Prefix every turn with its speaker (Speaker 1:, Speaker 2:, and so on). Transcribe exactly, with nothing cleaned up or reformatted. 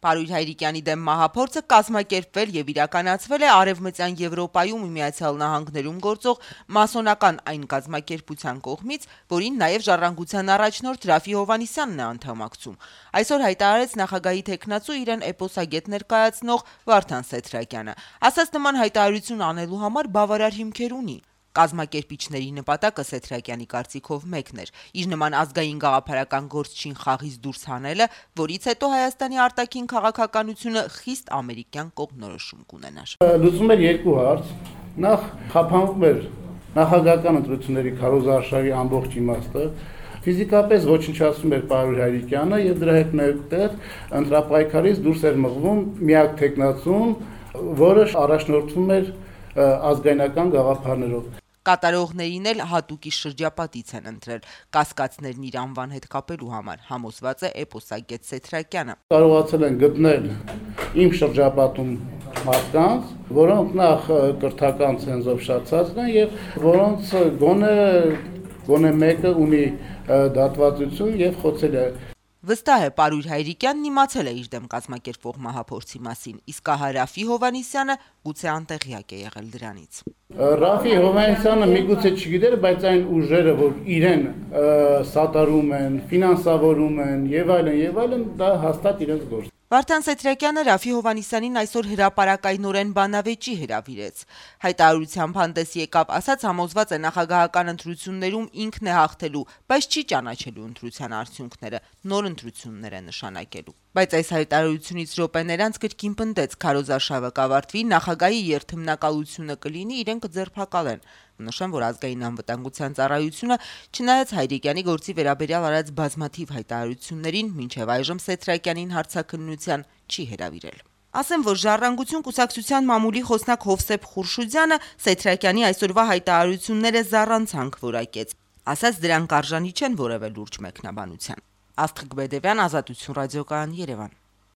Speaker 1: Պարույր Հայրիկյանի դեմ մահափորձը կազմակերպվել եւ իրականացվել է Արևմտյան Եվրոպայում ու Միացյալ Նահանգներում գործող մասոնական այն կազմակերպության կողմից, որին նաեւ Ժառանգության առաջնորդ Ռաֆի Հովհաննիսյանն է անդամակցում։ Այսօր հայտարարեց նախագահի թեկնածու իրեն էպոսագետ ներկայացնող Վարդան Սեթրակյանը։ Ասաց նման հայտարարություն անելու համար բավարար հիմքեր ունի։ Կազմակերպիչների նպատակը Սեթրակյանի կարծիքով մեկն էր՝ իր նման ազգային գաղափարական գործչին խաղից դուրս հանելը, որից հետո Հայաստանի արտաքին քաղաքականությունը խիստ ամերիկյան կողմնորոշում կունենար։
Speaker 2: Լուծում էր երկու հարց. նախ խափանվում էր նախագահական ընտրությունների քարոզարշավի ամբողջ իմաստը, ֆիզիկապես ոչնչացնում էր Պարույր Հայրիկյանը եւ դրա հետ մեկտեղ ընտրապայքարից դուրս էր մղվում միակ թեկնածուն, որը առաջնորդվում էր ազգայնական գաղափարներով։
Speaker 1: Կատարողներին էլ հատուկի շրջապատից են ընտրել կասկածներն իր անվան հետ կապելու համար, համոզված է էպոսագետ Սեթրակյանը։
Speaker 2: Կարողացել են գտնել իմ շրջապատում մարդկանց, որոնք նախ կրթական ցենզով շացած են եւ որոնց գոնե գոնե մեկը ունի դատվածություն եւ խոցել է։
Speaker 1: Վստահ է, Պարույր Հայրիկյանն իմացել է իր դեմ կազմակերպվող մահափորձի մասին, իսկ ահա Ռաֆի Հովհաննիսյանը գուցե անտեղյակ է եղել դրանից։
Speaker 2: Ռաֆի Հովհաննիսյանը միգուցե չգիտեր, բայց այն ուժերը, որ իրեն սատարում են, ֆինանսավորում են եւ այլն եւ այլն, դա հաստատ իրենց գործ։
Speaker 1: Վարդան Սեթրակյանը Ռաֆի Հովհաննիսյանին այսօր հրապարակայնորեն բանավեճի հրավիրեց։ Հայտարարությամբ հանդես եկավ, ասաց համոզված է նախագահական ընտրություններում ինքն է հաղթելու, բայց չի ճանաչելու ընտրության արդյունքները, նոր ընտրություններ է նշանակելու։ Բայց այս հայտարարությունից րոպեներ անց կրկին պնդեց՝ քարոզարշավը կավարտվի, նախագահի երթմնակալությունը կլինի, իրեն կձերբակալեն։ Նշեմ, որ ազգային անվտանգության ծառայությունը, չնայած Հայրիկյանի գործի վերաբերյալ արած բազմաթիվ հայտարարություններին, մինչև այժմ Սեթրակյանին հարցաքննության չի հրավիրել։ Ասեմ, որ Ժառանգություն կուսակցության մամուլի խոսնակ Հովսեփ Խուրշուդյանը Սեթրակյանի այսօրվա հայտարարությունները զառանցանք որակեց։ Ասաց, դրանք արժանի չեն որևէ լուրջ մեկնաբանության։ Աստղիկ Բեդևյան, Ազատություն ռադիոկայան, Երևան։